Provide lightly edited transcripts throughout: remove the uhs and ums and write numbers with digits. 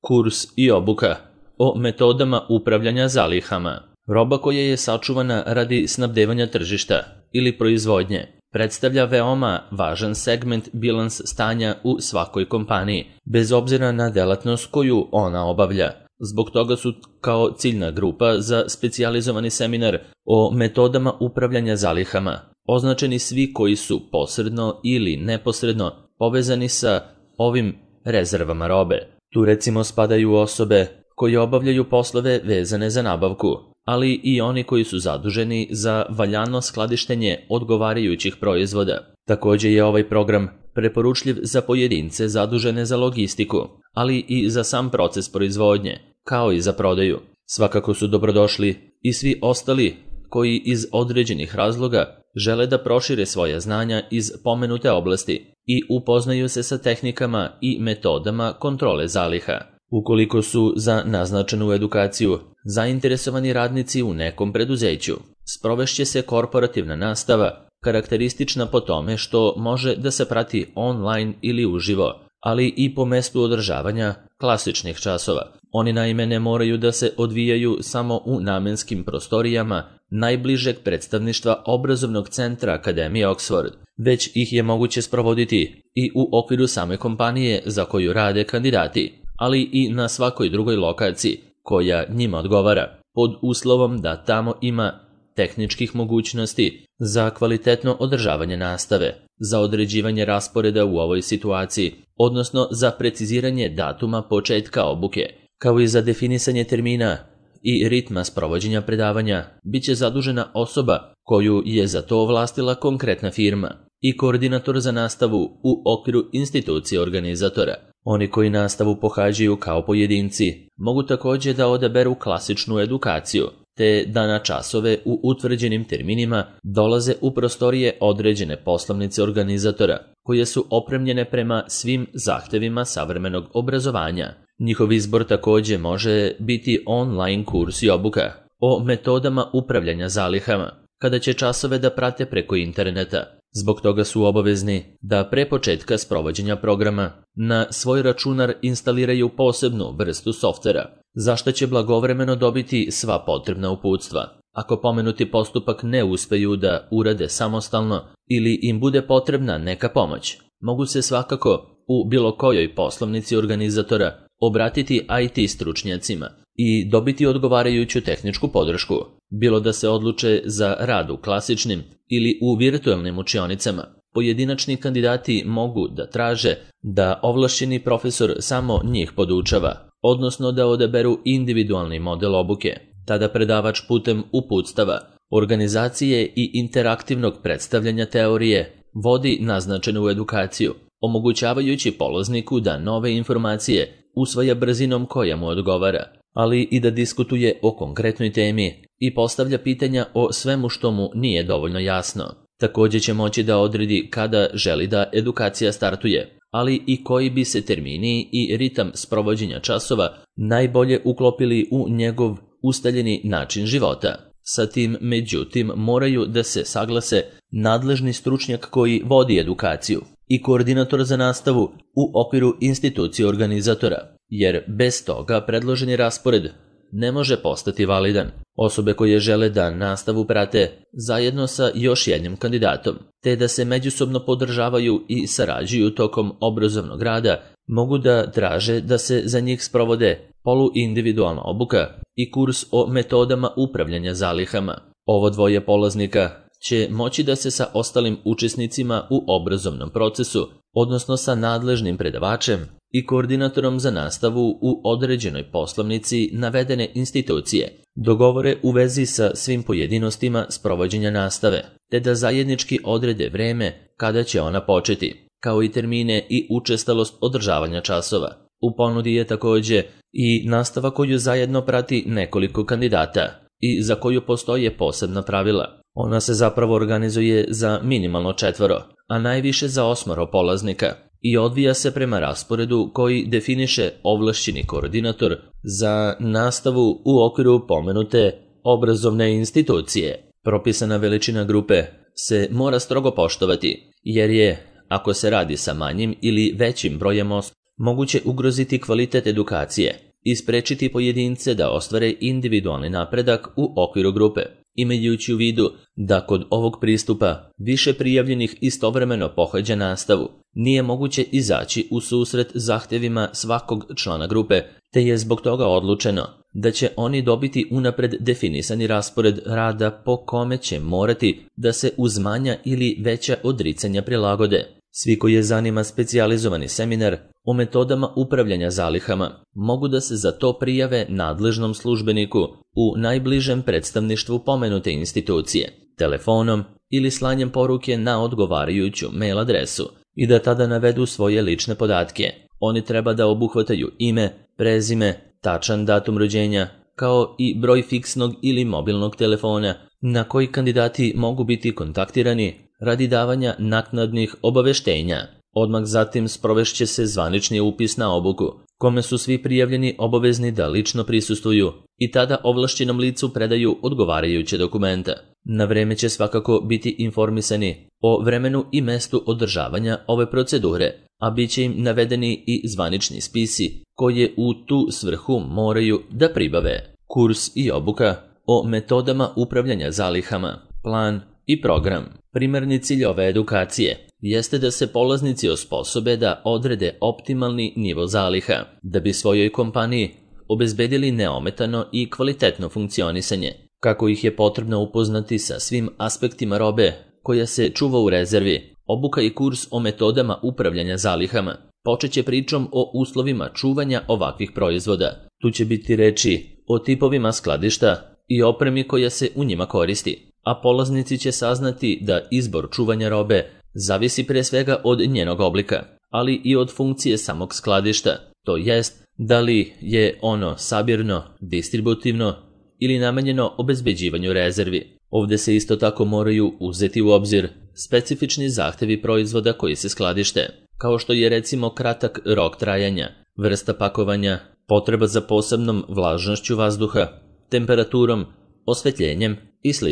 Kurs i obuka o metodama upravljanja zalihama. Roba koja je sačuvana radi snabdevanja tržišta ili proizvodnje predstavlja veoma važan segment bilans stanja u svakoj kompaniji, bez obzira na delatnost koju ona obavlja. Zbog toga su kao ciljna grupa za specijalizovani seminar o metodama upravljanja zalihama označeni svi koji su posredno ili neposredno povezani sa ovim rezervama robe. Tu recimo spadaju osobe koje obavljaju poslove vezane za nabavku, ali i oni koji su zaduženi za valjano skladištenje odgovarajućih proizvoda. Također je ovaj program preporučljiv za pojedince zadužene za logistiku, ali i za sam proces proizvodnje, kao i za prodaju. Svakako su dobrodošli i svi ostali koji iz određenih razloga žele da prošire svoja znanja iz pomenute oblasti i upoznaju se sa tehnikama i metodama kontrole zaliha. Ukoliko su za naznačenu edukaciju zainteresovani radnici u nekom preduzeću, sprovešće se korporativna nastava, karakteristična po tome što može da se prati online ili uživo, ali i po mestu održavanja klasičnih časova. Oni naime ne moraju da se odvijaju samo u namenskim prostorijama najbližeg predstavništva obrazovnog centra Akademije Oxford, već ih je moguće sprovoditi i u okviru same kompanije za koju rade kandidati, ali i na svakoj drugoj lokaciji koja njima odgovara, pod uslovom da tamo ima tehničkih mogućnosti za kvalitetno održavanje nastave, za određivanje rasporeda u ovoj situaciji, odnosno za preciziranje datuma početka obuke, kao i za definisanje termina i ritma sprovođenja predavanja, bit će zadužena osoba koju je za to ovlastila konkretna firma i koordinator za nastavu u okviru institucije organizatora. Oni koji nastavu pohađaju kao pojedinci mogu također da odaberu klasičnu edukaciju, te da na časove u utvrđenim terminima dolaze u prostorije određene poslovnice organizatora, koje su opremljene prema svim zahtevima savremenog obrazovanja. Njihov izbor također može biti online kurs i obuka o metodama upravljanja zalihama, kada će časove da prate preko interneta. Zbog toga su obavezni da pre početka sprovođenja programa na svoj računar instaliraju posebnu vrstu softvera, za što će blagovremeno dobiti sva potrebna uputstva. Ako pomenuti postupak ne uspeju da urade samostalno ili im bude potrebna neka pomoć, mogu se svakako u bilo kojoj poslovnici organizatora obratiti IT stručnjacima i dobiti odgovarajuću tehničku podršku, bilo da se odluče za rad u klasičnim ili u virtualnim učionicama. Pojedinačni kandidati mogu da traže da ovlašćeni profesor samo njih podučava, odnosno da odaberu individualni model obuke. Tada predavač putem uputstava, organizacije i interaktivnog predstavljanja teorije vodi naznačenu edukaciju, omogućavajući polazniku da nove informacije usvaja brzinom koja mu odgovara, ali i da diskutuje o konkretnoj temi i postavlja pitanja o svemu što mu nije dovoljno jasno. Također će moći da odredi kada želi da edukacija startuje, ali i koji bi se termini i ritam sprovođenja časova najbolje uklopili u njegov ustaljeni način života. Sa tim, međutim, moraju da se saglase nadležni stručnjak koji vodi edukaciju i koordinator za nastavu u okviru institucije organizatora, jer bez toga predloženi raspored ne može postati validan. Osobe koje žele da nastavu prate zajedno sa još jednim kandidatom, te da se međusobno podržavaju i sarađuju tokom obrazovnog rada, mogu da traže da se za njih sprovode poluindividualna obuka i kurs o metodama upravljanja zalihama. Ovo dvoje polaznika će moći da se sa ostalim učesnicima u obrazovnom procesu, odnosno sa nadležnim predavačem i koordinatorom za nastavu u određenoj poslovnici navedene institucije, dogovore u vezi sa svim pojedinostima sprovođenja nastave, te da zajednički odrede vreme kada će ona početi, kao i termine i učestalost održavanja časova. U ponudi je također i nastava koju zajedno prati nekoliko kandidata i za koju postoje posebna pravila. Ona se zapravo organizuje za minimalno 4, a najviše za 8 polaznika i odvija se prema rasporedu koji definiše ovlašćeni koordinator za nastavu u okviru pomenute obrazovne institucije. Propisana veličina grupe se mora strogo poštovati, jer je, ako se radi sa manjim ili većim brojem moguće ugroziti kvalitet edukacije i sprečiti pojedince da ostvare individualni napredak u okviru grupe, imajući u vidu da kod ovog pristupa više prijavljenih istovremeno pohađa nastavu, nije moguće izaći u susret zahtjevima svakog člana grupe, te je zbog toga odlučeno da će oni dobiti unapred definisani raspored rada po kome će morati da se uz manja ili veća odricanja prilagode. Svi koji je zanima specijalizovani seminar o metodama upravljanja zalihama mogu da se za to prijave nadležnom službeniku u najbližem predstavništvu pomenute institucije, telefonom ili slanjem poruke na odgovarajuću mail adresu i da tada navedu svoje lične podatke. Oni treba da obuhvataju ime, prezime, tačan datum rođenja, kao i broj fiksnog ili mobilnog telefona na koji kandidati mogu biti kontaktirani radi davanja naknadnih obaveštenja. Odmah zatim sprovešće se zvanični upis na obuku, kome su svi prijavljeni obavezni da lično prisustvuju i tada ovlašćenom licu predaju odgovarajuće dokumenta. Na vreme će svakako biti informisani o vremenu i mestu održavanja ove procedure, a bit će im navedeni i zvanični spisi koje u tu svrhu moraju da pribave. Kurs i obuka o metodama upravljanja zalihama, plan i program. Primarni cilj ove edukacije jeste da se polaznici osposobe da odrede optimalni nivo zaliha, da bi svojoj kompaniji obezbedili neometano i kvalitetno funkcionisanje, kako ih je potrebno upoznati sa svim aspektima robe koja se čuva u rezervi. Obuka i kurs o metodama upravljanja zalihama počeće pričom o uslovima čuvanja ovakvih proizvoda. Tu će biti reči o tipovima skladišta i opremi koja se u njima koristi, a polaznici će saznati da izbor čuvanja robe zavisi pre svega od njenog oblika, ali i od funkcije samog skladišta, to jest da li je ono sabirno, distributivno ili namenjeno obezbeđivanju rezervi. Ovdje se isto tako moraju uzeti u obzir specifični zahtevi proizvoda koji se skladište, kao što je recimo kratak rok trajanja, vrsta pakovanja, potreba za posebnom vlažnošću vazduha, temperaturom, osvetljenjem i sl.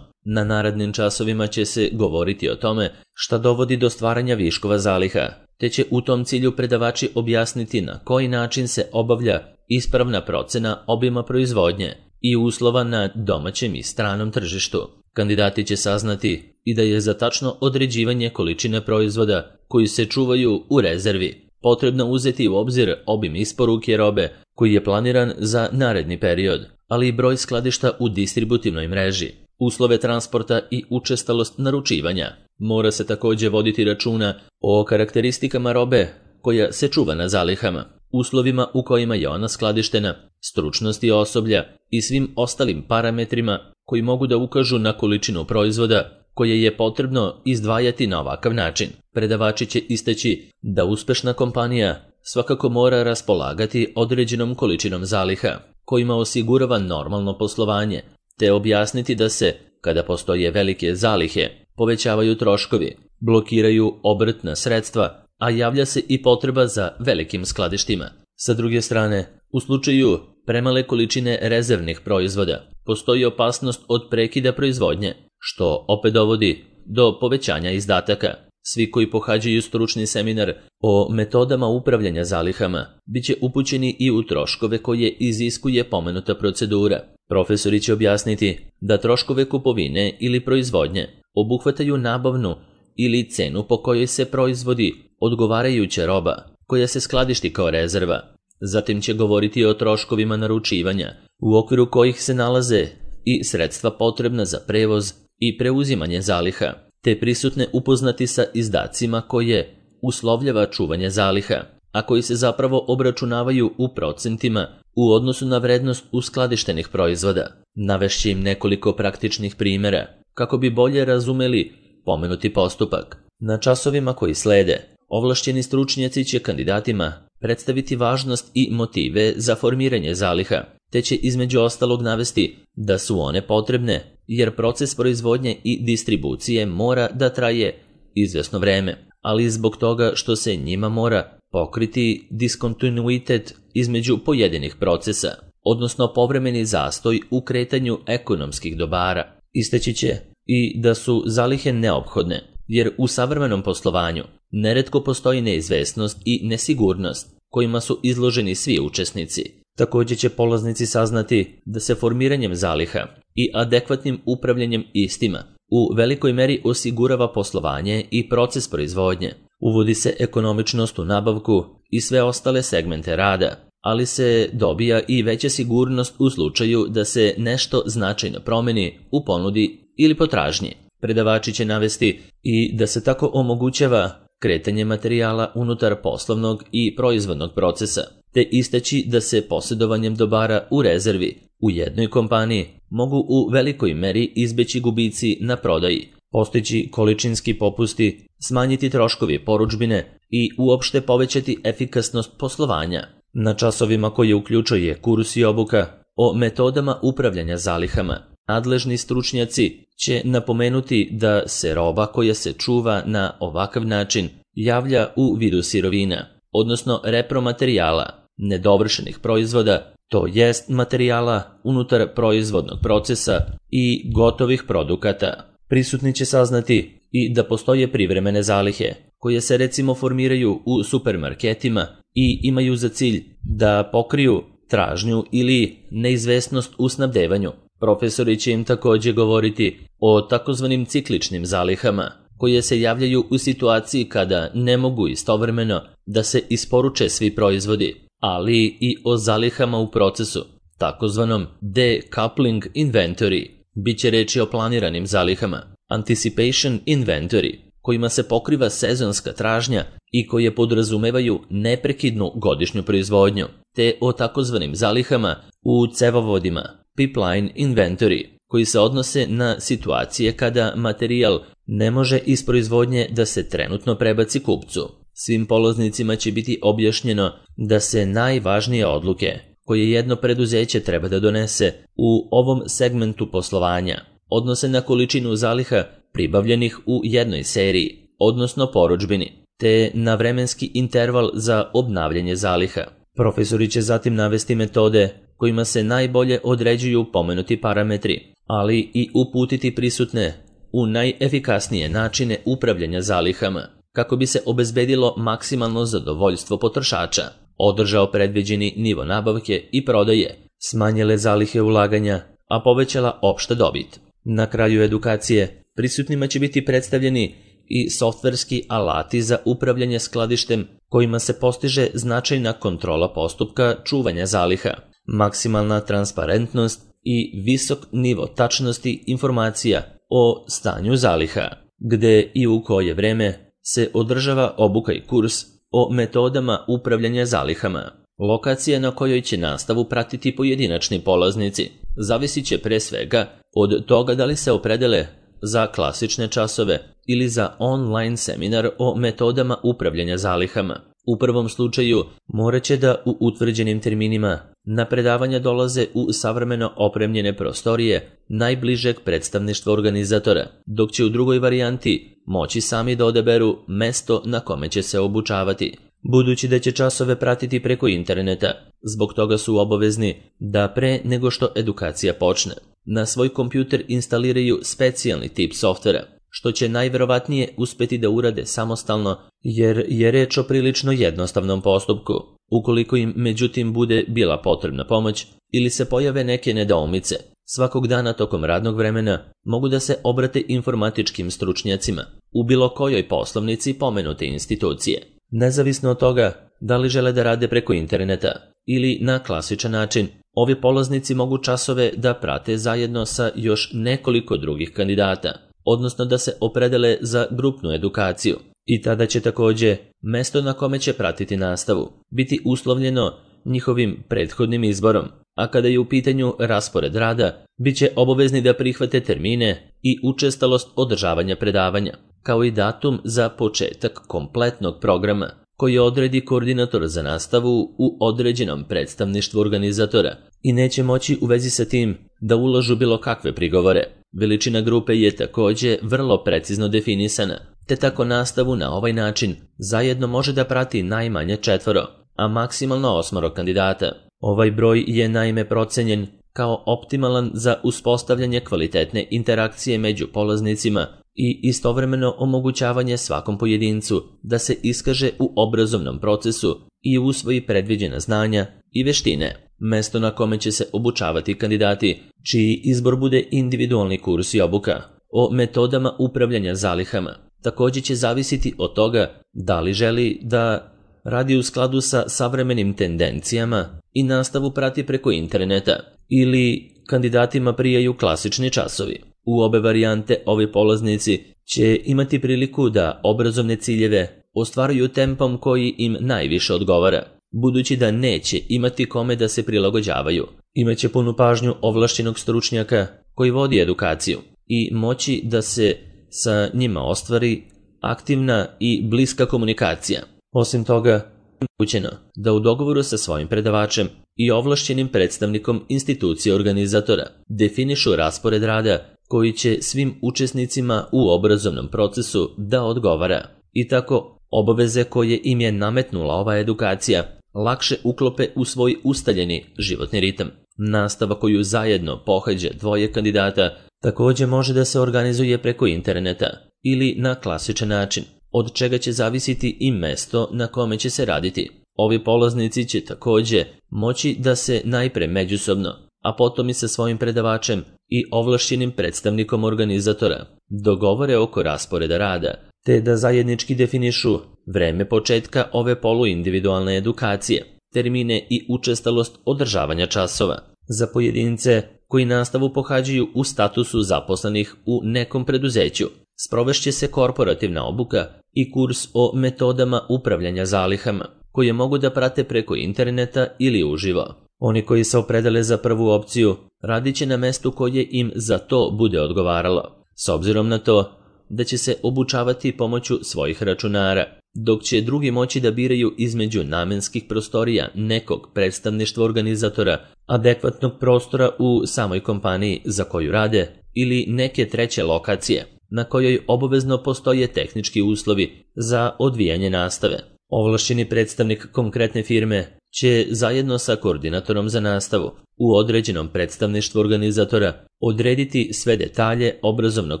Na narednim časovima će se govoriti o tome šta dovodi do stvaranja viškova zaliha, te će u tom cilju predavači objasniti na koji način se obavlja ispravna procena obima proizvodnje i uslova na domaćem i stranom tržištu. Kandidati će saznati i da je za tačno određivanje količine proizvoda koji se čuvaju u rezervi potrebno uzeti u obzir obim isporuke robe koji je planiran za naredni period, ali i broj skladišta u distributivnoj mreži, uslove transporta i učestalost naručivanja. Mora se također voditi računa o karakteristikama robe koja se čuva na zalihama, uslovima u kojima je ona skladištena, stručnosti osoblja i svim ostalim parametrima koji mogu da ukažu na količinu proizvoda koje je potrebno izdvajati na ovakav način. Predavači će istaći da uspešna kompanija svakako mora raspolagati određenom količinom zaliha kojima osigurava normalno poslovanje, te objasniti da se, kada postoje velike zalihe, povećavaju troškovi, blokiraju obrtna sredstva, a javlja se i potreba za velikim skladištima. Sa druge strane, u slučaju premale količine rezervnih proizvoda, postoji opasnost od prekida proizvodnje, što opet dovodi do povećanja izdataka. Svi koji pohađaju stručni seminar o metodama upravljanja zalihama bit će upućeni i u troškove koje iziskuje pomenuta procedura. Profesori će objasniti da troškove kupovine ili proizvodnje obuhvataju nabavnu ili cenu po kojoj se proizvodi odgovarajuća roba koja se skladišti kao rezerva. Zatim će govoriti o troškovima naručivanja, u okviru kojih se nalaze i sredstva potrebna za prevoz i preuzimanje zaliha, te prisutne upoznati sa izdacima koje uslovljava čuvanje zaliha, a koji se zapravo obračunavaju u procentima u odnosu na vrednost uskladištenih proizvoda. Navešće im nekoliko praktičnih primjera kako bi bolje razumeli pomenuti postupak. Na časovima koji slede, ovlašćeni stručnjaci će kandidatima predstaviti važnost i motive za formiranje zaliha, te će između ostalog navesti da su one potrebne jer proces proizvodnje i distribucije mora da traje izvesno vreme, ali zbog toga što se njima mora pokriti diskontinuitet između pojedinih procesa, odnosno povremeni zastoj u kretanju ekonomskih dobara. Istaći će i da su zalihe neophodne, jer u savremenom poslovanju neretko postoji neizvesnost i nesigurnost kojima su izloženi svi učesnici. Također će polaznici saznati da se formiranjem zaliha i adekvatnim upravljanjem istima u velikoj meri osigurava poslovanje i proces proizvodnje. Uvodi se ekonomičnost u nabavku i sve ostale segmente rada, ali se dobija i veća sigurnost u slučaju da se nešto značajno promeni u ponudi ili potražnji. Predavači će navesti i da se tako omogućava kretanje materijala unutar poslovnog i proizvodnog procesa, te istaći da se posjedovanjem dobara u rezervi u jednoj kompaniji mogu u velikoj meri izbeći gubici na prodaji, postići količinski popusti, smanjiti troškovi porudžbine i uopšte povećati efikasnost poslovanja. Na časovima koje uključuje kurs i obuka o metodama upravljanja zalihama, nadležni stručnjaci će napomenuti da se roba koja se čuva na ovakav način javlja u vidu sirovina, odnosno repromaterijala, nedovršenih proizvoda, to jest materijala unutar proizvodnog procesa i gotovih produkata. Prisutni će saznati i da postoje privremene zalihe, koje se recimo formiraju u supermarketima i imaju za cilj da pokriju tražnju ili neizvesnost u snabdevanju. Profesori će im također govoriti o takozvanim cikličnim zalihama, koje se javljaju u situaciji kada ne mogu istovremeno da se isporuče svi proizvodi, ali i o zalihama u procesu, takozvanom decoupling inventory. Biće reći o planiranim zalihama, anticipation inventory, kojima se pokriva sezonska tražnja i koje podrazumevaju neprekidnu godišnju proizvodnju, te o takozvanim zalihama u cevovodima, pipeline inventory, koji se odnose na situacije kada materijal ne može iz proizvodnje da se trenutno prebaci kupcu. Svim polaznicima će biti objašnjeno da se najvažnije odluke koje jedno preduzeće treba da donese u ovom segmentu poslovanja odnose na količinu zaliha pribavljenih u jednoj seriji, odnosno porudžbini, te na vremenski interval za obnavljanje zaliha. Profesori će zatim navesti metode kojima se najbolje određuju pomenuti parametri, ali i uputiti prisutne u najefikasnije načine upravljanja zalihama, kako bi se obezbedilo maksimalno zadovoljstvo potrošača, održao predviđeni nivo nabavke i prodaje, smanjile zalihe ulaganja, a povećala opšta dobit. Na kraju edukacije prisutnima će biti predstavljeni i softverski alati za upravljanje skladištem kojima se postiže značajna kontrola postupka čuvanja zaliha, maksimalna transparentnost i visok nivo tačnosti informacija o stanju zaliha, gde i u koje vreme se održava obuka i kurs o metodama upravljanja zalihama. Lokacija na kojoj će nastavu pratiti pojedinačni polaznici zavisit će pre svega od toga da li se opredele za klasične časove ili za online seminar o metodama upravljanja zalihama. U prvom slučaju morat će da u utvrđenim terminima na predavanja dolaze u savremeno opremljene prostorije najbližeg predstavništva organizatora, dok će u drugoj varijanti moći sami da odaberu mesto na kome će se obučavati. Budući da će časove pratiti preko interneta, zbog toga su obavezni da pre nego što edukacija počne, na svoj kompjuter instaliraju specijalni tip softvera, što će najverovatnije uspeti da urade samostalno jer je reč o prilično jednostavnom postupku. Ukoliko im međutim bude bila potrebna pomoć ili se pojave neke nedoumice, svakog dana tokom radnog vremena mogu da se obrate informatičkim stručnjacima u bilo kojoj poslovnici pomenute institucije. Nezavisno od toga da li žele da rade preko interneta ili na klasičan način, ovi polaznici mogu časove da prate zajedno sa još nekoliko drugih kandidata, odnosno da se opredele za grupnu edukaciju. I tada će također mesto na kome će pratiti nastavu biti uslovljeno njihovim prethodnim izborom, a kada je u pitanju raspored rada, bit će obavezni da prihvate termine i učestalost održavanja predavanja, kao i datum za početak kompletnog programa koji odredi koordinator za nastavu u određenom predstavništvu organizatora i neće moći u vezi sa tim da ulažu bilo kakve prigovore. Veličina grupe je također vrlo precizno definisana, te tako nastavu na ovaj način zajedno može da prati najmanje 4, a maksimalno 8 kandidata. Ovaj broj je naime procenjen kao optimalan za uspostavljanje kvalitetne interakcije među polaznicima i istovremeno omogućavanje svakom pojedincu da se iskaže u obrazovnom procesu i usvoji predviđena znanja i veštine. Mesto na kome će se obučavati kandidati, čiji izbor bude individualni kurs i obuka o metodama upravljanja zalihama, također će zavisiti od toga da li želi da radi u skladu sa savremenim tendencijama i nastavu prati preko interneta ili kandidatima prijaju klasični časovi. U obe varijante ovi polaznici će imati priliku da obrazovne ciljeve ostvaruju tempom koji im najviše odgovara, budući da neće imati kome da se prilagođavaju. Imaće punu pažnju ovlašćenog stručnjaka koji vodi edukaciju i moći da se sa njima ostvari aktivna i bliska komunikacija. Osim toga, omogućeno da u dogovoru sa svojim predavačem i ovlašćenim predstavnikom institucije organizatora definišu raspored rada koji će svim učesnicima u obrazovnom procesu da odgovara i tako obaveze koje im je nametnula ova edukacija lakše uklope u svoj ustaljeni životni ritam. Nastava koju zajedno pohađa dvoje kandidata također može da se organizuje preko interneta ili na klasičan način, od čega će zavisiti i mesto na kome će se raditi. Ovi polaznici će također moći da se najpre međusobno, a potom i sa svojim predavačem i ovlašćenim predstavnikom organizatora dogovore oko rasporeda rada, te da zajednički definišu vreme početka ove poluindividualne edukacije, termine i učestalost održavanja časova. Za pojedince koji nastavu pohađaju u statusu zaposlenih u nekom preduzeću, sprovešće se korporativna obuka i kurs o metodama upravljanja zalihama, koje mogu da prate preko interneta ili uživo. Oni koji se opredele za prvu opciju radit će na mestu koje im za to bude odgovaralo, s obzirom na to da će se obučavati pomoću svojih računara, dok će drugi moći da biraju između namenskih prostorija nekog predstavništva organizatora, adekvatnog prostora u samoj kompaniji za koju rade ili neke treće lokacije na kojoj obavezno postoje tehnički uslovi za odvijanje nastave. Ovlašćeni predstavnik konkretne firme će zajedno sa koordinatorom za nastavu u određenom predstavništvu organizatora odrediti sve detalje obrazovnog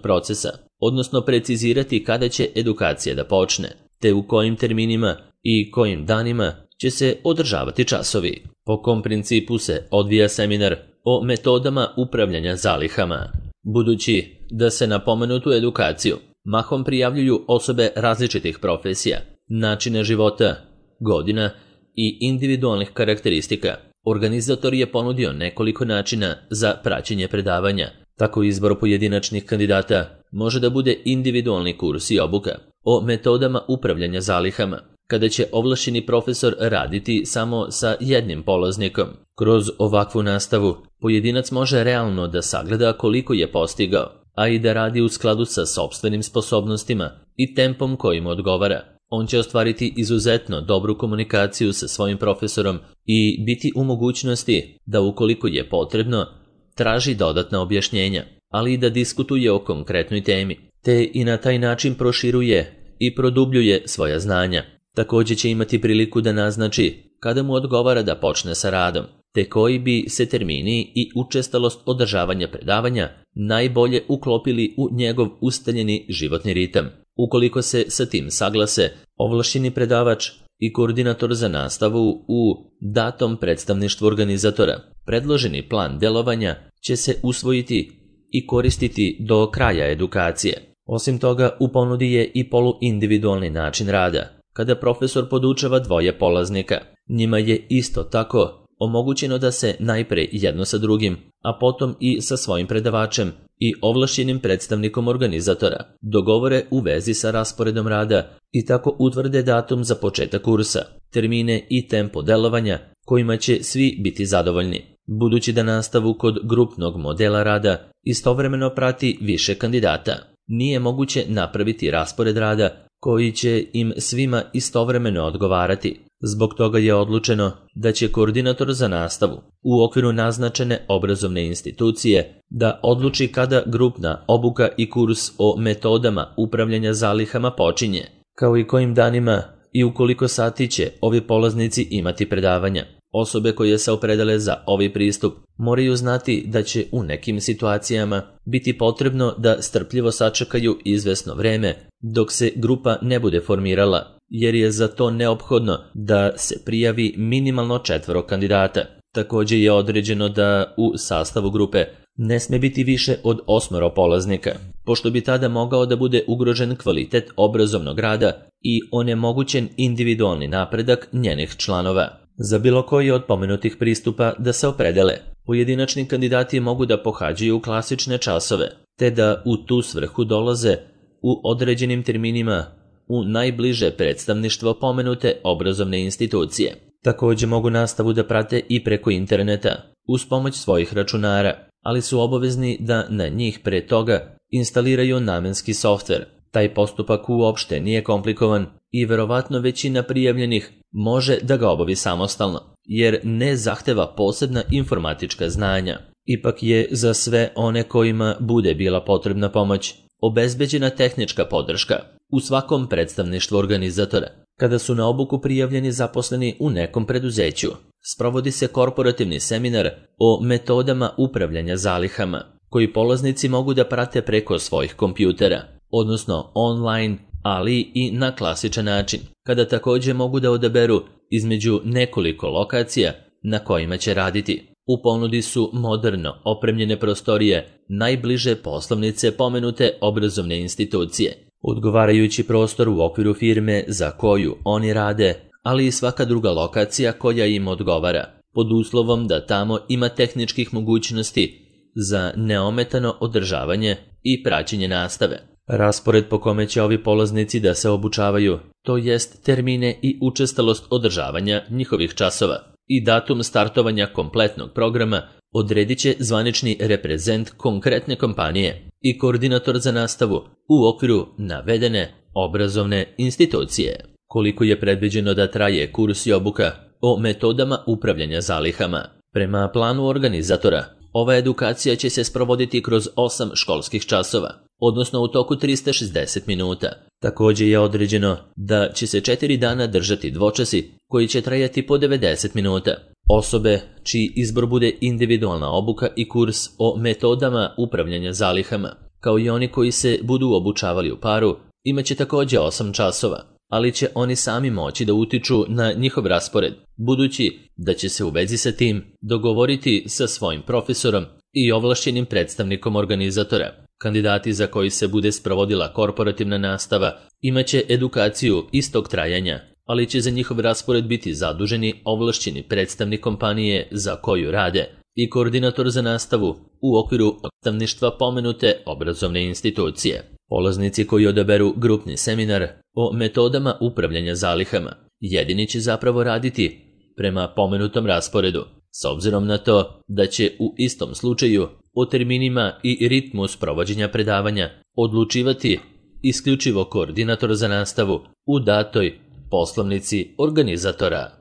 procesa, odnosno precizirati kada će edukacija da počne, te u kojim terminima i kojim danima će se održavati časovi. Po kom principu se odvija seminar o metodama upravljanja zalihama. Budući da se na pomenutu edukaciju mahom prijavljuju osobe različitih profesija, načina života, godina i individualnih karakteristika, organizator je ponudio nekoliko načina za praćenje predavanja. Tako izbor pojedinačnih kandidata može da bude individualni kurs i obuka o metodama upravljanja zalihama, kada će ovlašćeni profesor raditi samo sa jednim polaznikom. Kroz ovakvu nastavu pojedinac može realno da sagleda koliko je postigao, a i da radi u skladu sa sopstvenim sposobnostima i tempom kojim odgovara. On će ostvariti izuzetno dobru komunikaciju sa svojim profesorom i biti u mogućnosti da ukoliko je potrebno traži dodatna objašnjenja, ali i da diskutuje o konkretnoj temi, te i na taj način proširuje i produbljuje svoja znanja. Također će imati priliku da naznači kada mu odgovara da počne sa radom, te koji bi se termini i učestalost održavanja predavanja najbolje uklopili u njegov ustaljeni životni ritam. Ukoliko se sa tim saglase, ovlašćeni predavač i koordinator za nastavu u datom predstavništvu organizatora, predloženi plan delovanja će se usvojiti i koristiti do kraja edukacije. Osim toga, u ponudi je i poluindividualni način rada, kada profesor podučava dvoje polaznika. Njima je isto tako omogućeno da se najpre jedno sa drugim, a potom i sa svojim predavačem i ovlašćenim predstavnikom organizatora dogovore u vezi sa rasporedom rada i tako utvrde datum za početak kursa, termine i tempo delovanja kojima će svi biti zadovoljni. Budući da nastavu kod grupnog modela rada istovremeno prati više kandidata, nije moguće napraviti raspored rada koji će im svima istovremeno odgovarati. Zbog toga je odlučeno da će koordinator za nastavu u okviru naznačene obrazovne institucije da odluči kada grupna obuka i kurs o metodama upravljanja zalihama počinje, kao i kojim danima i u koliko sati će ovi polaznici imati predavanja. Osobe koje se opredele za ovaj pristup moraju znati da će u nekim situacijama biti potrebno da strpljivo sačekaju izvesno vreme dok se grupa ne bude formirala, jer je za to neophodno da se prijavi minimalno 4 kandidata. Također je određeno da u sastavu grupe ne sme biti više od 8 polaznika, pošto bi tada mogao da bude ugrožen kvalitet obrazovnog rada i onemogućen individualni napredak njenih članova. Za bilo koji od pomenutih pristupa da se opredele, pojedinačni kandidati mogu da pohađaju klasične časove, te da u tu svrhu dolaze u određenim terminima u najbliže predstavništvo pomenute obrazovne institucije. Također mogu nastavu da prate i preko interneta, uz pomoć svojih računara, ali su obavezni da na njih pre toga instaliraju namenski softver. Taj postupak uopšte nije komplikovan i verovatno većina prijavljenih može da ga obavi samostalno, jer ne zahteva posebna informatička znanja. Ipak je za sve one kojima bude bila potrebna pomoć obezbeđena tehnička podrška u svakom predstavništvu organizatora. Kada su na obuku prijavljeni zaposleni u nekom preduzeću, sprovodi se korporativni seminar o metodama upravljanja zalihama, koji polaznici mogu da prate preko svojih kompjutera, odnosno online, ali i na klasičan način, kada također mogu da odaberu između nekoliko lokacija na kojima će raditi. U ponudi su moderno opremljene prostorije najbliže poslovnice pomenute obrazovne institucije, odgovarajući prostor u okviru firme za koju oni rade, ali i svaka druga lokacija koja im odgovara, pod uslovom da tamo ima tehničkih mogućnosti za neometano održavanje i praćenje nastave. Raspored po kome će ovi polaznici da se obučavaju, to jest termine i učestalost održavanja njihovih časova i datum startovanja kompletnog programa, odredit će zvanični reprezent konkretne kompanije i koordinator za nastavu u okviru navedene obrazovne institucije. Koliko je predviđeno da traje kurs i obuka o metodama upravljanja zalihama? Prema planu organizatora, ova edukacija će se sprovoditi kroz 8 školskih časova, odnosno u toku 360 minuta. Također je određeno da će se 4 dana držati dvočasi koji će trajati po 90 minuta. Osobe čiji izbor bude individualna obuka i kurs o metodama upravljanja zalihama, kao i oni koji se budu obučavali u paru, imaće također 8 časova, ali će oni sami moći da utiču na njihov raspored, budući da će se u vezi sa tim dogovoriti sa svojim profesorom i ovlašćenim predstavnikom organizatora. Kandidati za koji se bude sprovodila korporativna nastava imaće edukaciju istog trajanja, ali će za njihov raspored biti zaduženi ovlašćeni predstavnik kompanije za koju rade i koordinator za nastavu u okviru predstavništva pomenute obrazovne institucije. Polaznici koji odaberu grupni seminar o metodama upravljanja zalihama jedini će zapravo raditi prema pomenutom rasporedu, s obzirom na to da će u istom slučaju o terminima i ritmu sprovođenja predavanja odlučivati isključivo koordinator za nastavu u datoj poslovnici organizatora.